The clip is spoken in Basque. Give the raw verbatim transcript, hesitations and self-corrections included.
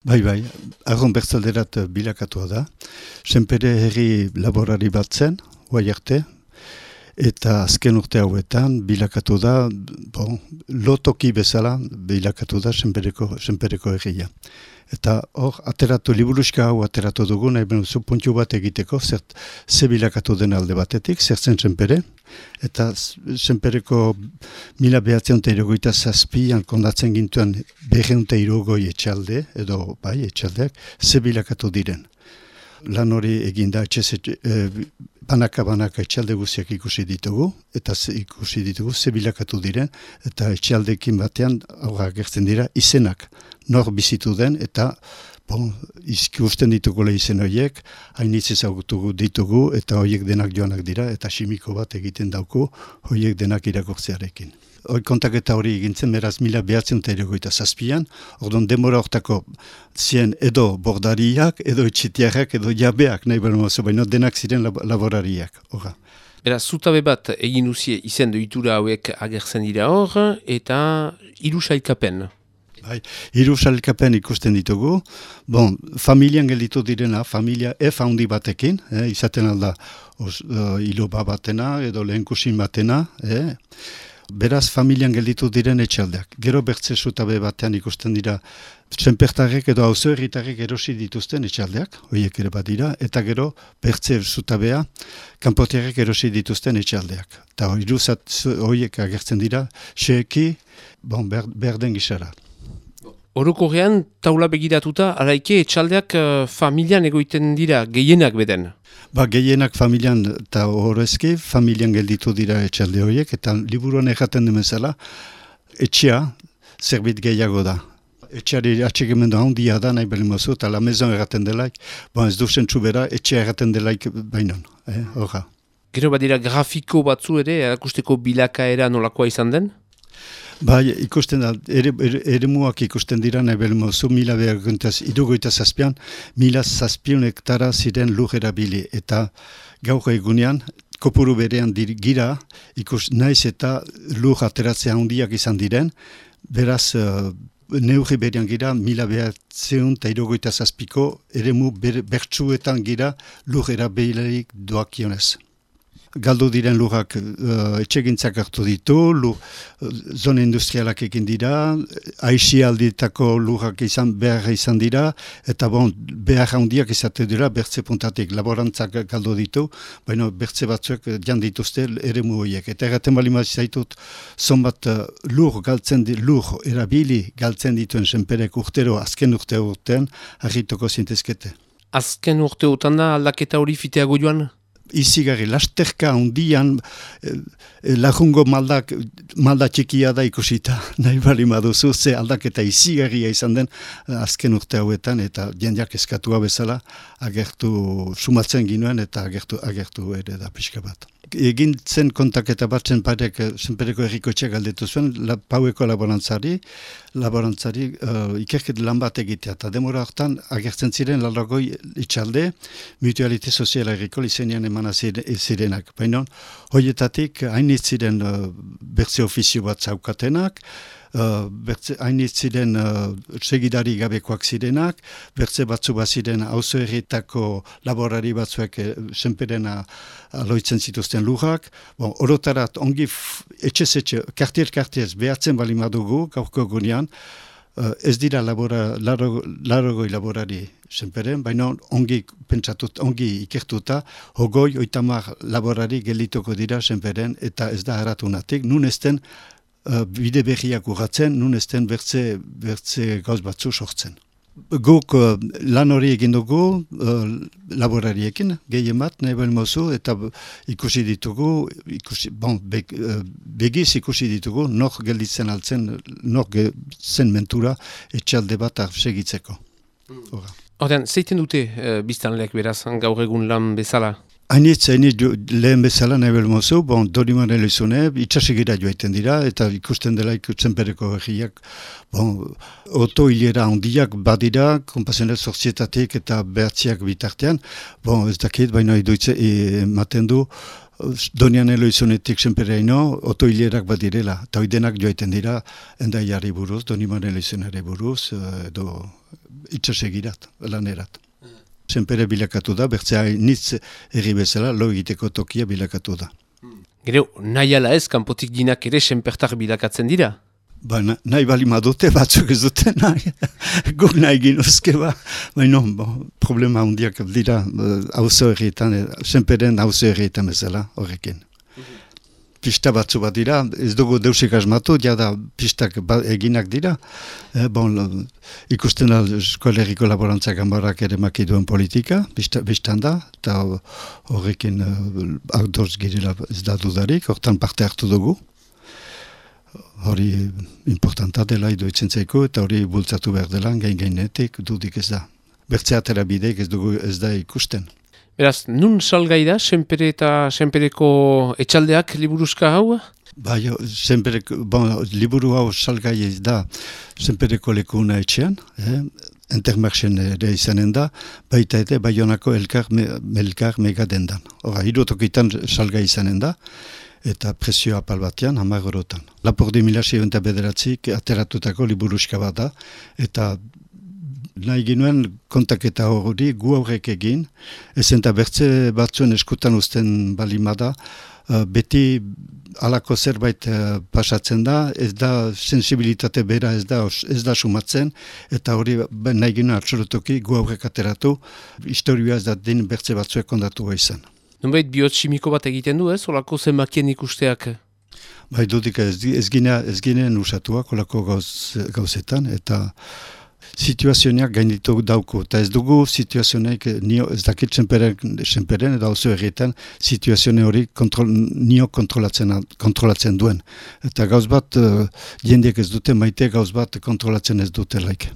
Bai, bai, argon bertzalderat bilakatua da. Senpere herri laborari bat zen, guai arte, eta azken urte hauetan bilakatu da, bon, lotoki bezala bilakatu da senpereko, senpereko herria. Eta hor, ateratu, liburuska hau ateratu dugu, nahi benuzu puntu bat egiteko, zert, ze bilakatu den alde batetik, zer zen senpere, eta senpereko mila behatzen eta irogoita zazpian kondatzen gintuen berreunte irogoi etxalde, edo bai, etxaldeak, ze bilakatu diren. Lan hori eginda, etxez, e, banaka-banaka etxalde guziak ikusi ditugu, eta ze, ikusi ditugu ze bilakatu diren, eta etxaldekin batean aurra agertzen dira izenak, nor bizitu den, eta bon, ikusten ditugu izen horiek, hainitz ezagutu ditugu, eta horiek denak joanak dira, eta simiko bat egiten dauku, horiek denak irakurtzearekin. Hoi kontaketa hori egintzen, beraz mila behatzen eta erogoita zazpian, ordon demora hortako zien edo bordariak, edo etxetiarrak, edo jabeak, nahi behar mozu, baina denak ziren lab laborariak. Horra. Beraz, zutabe bat egin duzie izen doitura hauek agertzen dira hor, eta hiru sailkapen. Bai, hiru sailkapen ikusten ditugu. Bon, familian gelditu direna, familia F handi batekin, eh, izaten alda os, uh, iloba batena edo lehenkusin batena, eh. Beraz, familian gelditu diren etxaldeak. Gero bertze zutabe batean ikusten dira senpertarrek edo auzo herritarrek erosi dituzten etxaldeak, horiek ere badira, eta gero bertze zutabea kanpotiarrek erosi dituzten etxaldeak. Eta horiek agertzen dira, xeeki, bon, ber, berden gisara. Orokorrean, taula begiratuta, araike etxaldeak uh, familian egoiten dira, gehienak beden. Ba, gehienak familian eta horrezki, familian gelditu dira etxalde horiek, eta liburuan erraten demezala, etxea zerbit gehiago da. Etxeari atxegimendu handia da, nahi behar mozu, eta la mezon erraten delaik, bon, ez duzen txubera, etxea erraten delaik bainon, eh, horra. Gero badira grafiko batzu ere, erakusteko bilakaera nolakoa izan den? Bai, ikusten da, ere, ere, ere muak ikusten dira, nahi behar mozu, mila behar guntaz, irugoita zazpian, mila zazpion hektara ziren lur erabili, eta gaur egunean, kopuru berean dir, gira, ikus naiz eta lur ateratzea handiak izan diren, beraz, uh, neurri berean gira, mila behar zeun eta irugoita zazpiko, ere mu ber, bertsuetan gira lur erabilirik doakionez. Galdu diren lurrak uh, etxegintzak hartu ditu, lur, uh, zone industrialak egin dira, aixi alditako lurrak izan, behar izan dira, eta bon, behar handiak izate dira, bertze puntatik laborantzak galdu ditu, baina bertze batzuek jan dituzte ere horiek. Eta erraten bali zaitut, zonbat uh, lur galtzen di, lur erabili galtzen dituen senperek urtero, azken urte urtean, harrituko zintezkete. Azken urteotan da aldaketa hori fiteago joan? Izigarri, lasterka handian eh, lagungo maldak, malda txikia da ikusita, nahi bali maduzu, ze aldaketa izigarria izan den azken urte hauetan, eta jendeak eskatua bezala agertu sumatzen ginuen, eta agertu, agertu ere da pixka bat. Egin zen kontaketa bat zenparek, zenpereko erriko etxeak galdetu zuen, la, paueko laborantzari, laborantzari uh, ikerket lan bat egitea, eta demora hortan agertzen ziren lalagoi itxalde, mutualite soziala erriko izenean emana zirenak. Baina, horietatik hainitz ziren uh, bertze ofizio bat zaukatenak, Uh, bertze, hainitz ziren uh, segidari gabekoak zirenak, bertze batzu bat ziren auzo herrietako laborari batzuek eh, senperena aloitzen zituzten lurrak. Bon, orotarat ongi etxez-etxe, kartier-kartiez behatzen bali madugu gaurko gunean, uh, ez dira labora, laro, larogoi laborari senperen, baina ongi pentsatut, ongi ikertuta, hogoi, oitamar laborari gelituko dira senperen, eta ez da haratunatik, nun ezten Uh, bide berriak urratzen, nun ezten bertze, bertze gauz batzu sortzen. Guk uh, lan hori egin dugu uh, laborariekin, gehien bat, nahi behar mozu, eta ikusi ditugu, ikusi, bon, be, uh, begiz ikusi ditugu, nor gelditzen altzen, nor zen mentura etxalde bat segitzeko. Horten, zeiten dute uh, biztanleak beraz, gaur egun lan bezala? Hainitz, hainitz lehen bezala nahi behar mozu, bon, Doriman elizune, itxasigira joaiten dira, eta ikusten dela ikutzen pereko egiak, bon, oto hilera handiak badira, kompazenez sortzietatik eta behatziak bitartean, bon, ez dakit, baina iduitze ematen du, Donian Eloizonetik senpereino, otoilerak bat direla, eta denak joaiten dira, endaiari buruz, Doniman Eloizonare buruz, edo itxasegirat, lanerat. Senpere bilakatu da, bertzea nitz erri bezala, lo egiteko tokia bilakatu da. Gero, nahi ala ez, kanpotik dinak ere senpertar bilakatzen dira? Ba, nahi bali madute, batzuk ez dute nahi. Guk nahi ginozke ba. Baina, problema hundiak dira, hauzo errietan, senperen hauzo errietan bezala, horrekin. Pista batzu bat dira, ez dugu deusik asmatu, jada pistak eginak dira. Eh, bon, ikusten da Eskolerriko Laborantza Ganbarak ere makiduen politika, bistan da, eta horrekin uh, aurdoz girela ez da dudarik, hortan parte hartu dugu. Hori importanta dela iduitzen zaiko, eta hori bultzatu behar dela, gain-gainetik dudik ez da. Bertze atera bideik ez dugu ez da ikusten. Beraz, nun salgai da, senpere eta senpereko etxaldeak liburuzka hau? Bai, senpereko, bon, liburu hau salgai ez da senpereko lekuna etxean, eh? Intermarchen ere izanen da, baita ere Baionako elkar, me, elkar megadendan. Hora, hirutokitan salgai izanen da, eta presio apal batean, hamar eurotan. Lapordi mila seiehun eta bederatzik ateratutako liburuzka bat da, eta nahi ginuen kontaketa hori gu aurrek egin, ezen eta bertze batzuen eskutan uzten balimada, uh, beti alako zerbait uh, pasatzen da, ez da sensibilitate bera ez da, ez da sumatzen, eta hori nahi ginuen absolutoki gu aurrek ateratu, historia ez da den bertze batzuek kondatu izan. Nunbait biotximiko bat egiten du ez, olako zenbakien ikusteak? Bai, dudik ez, ez, gine, ez ginen usatuak olako gauz, gauzetan, eta situazioak gainditu dauko, eta ez dugu situazioak, ez dakit senperen, eta oso errietan, situazioa hori kontrol, nio kontrolatzen, kontrolatzen duen. Eta gauz bat, uh, jendeek ez dute maite, gauz bat kontrolatzen ez dute laik.